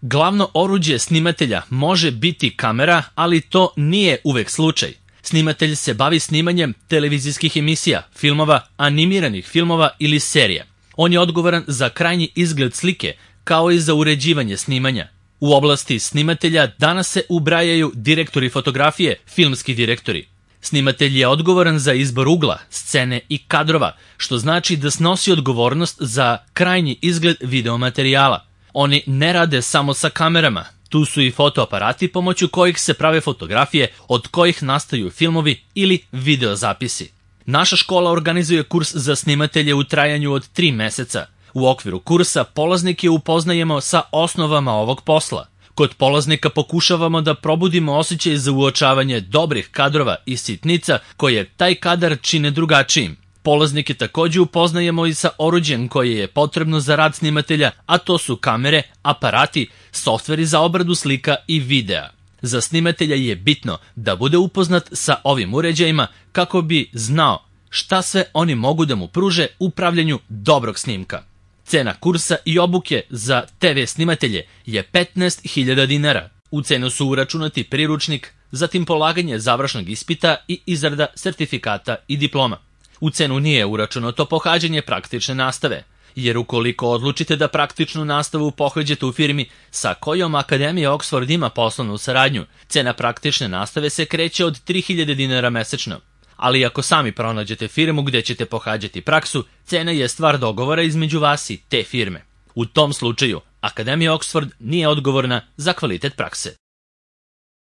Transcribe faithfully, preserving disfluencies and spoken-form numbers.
Glavno oruđe snimatelja može biti kamera, ali to nije uvek slučaj. Snimatelj se bavi snimanjem televizijskih emisija, filmova, animiranih filmova ili serija. On je odgovoran za krajnji izgled slike, kao i za uređivanje snimanja. U oblasti snimatelja danas se ubrajaju direktori fotografije, filmski direktori. Snimatelj je odgovoran za izbor ugla, scene i kadrova, što znači da snosi odgovornost za krajnji izgled videomaterijala. Oni ne rade samo sa kamerama, tu su i fotoaparati pomoću kojih se prave fotografije, od kojih nastaju filmovi ili videozapisi. Naša škola organizuje kurs za snimatelje u trajanju od tri meseca. U okviru kursa polaznike upoznajemo sa osnovama ovog posla. Kod polaznika pokušavamo da probudimo osjećaj za uočavanje dobrih kadrova i sitnica koje taj kadar čine drugačijim. Polaznike takođe upoznajemo i sa oruđem koje je potrebno za rad snimatelja, a to su kamere, aparati, softveri za obradu slika i videa. Za snimatelja je bitno da bude upoznat sa ovim uređajima kako bi znao šta sve oni mogu da mu pruže u pravljenju dobrog snimka. Cena kursa i obuke za te ve snimatelje je petnaest hiljada dinara. U cenu su uračunati priručnik, zatim polaganje završnog ispita i izrada sertifikata i diploma. U cenu nije uračunato pohađanje praktične nastave, jer ukoliko odlučite da praktičnu nastavu pohađate u firmi sa kojom Akademija Oxford ima poslovnu saradnju, cena praktične nastave se kreće od tri hiljade dinara mesečno. Ali ako sami pronađete firmu gde ćete pohađati praksu, cena je stvar dogovora između vas i te firme. U tom slučaju, Akademija Oxford nije odgovorna za kvalitet prakse.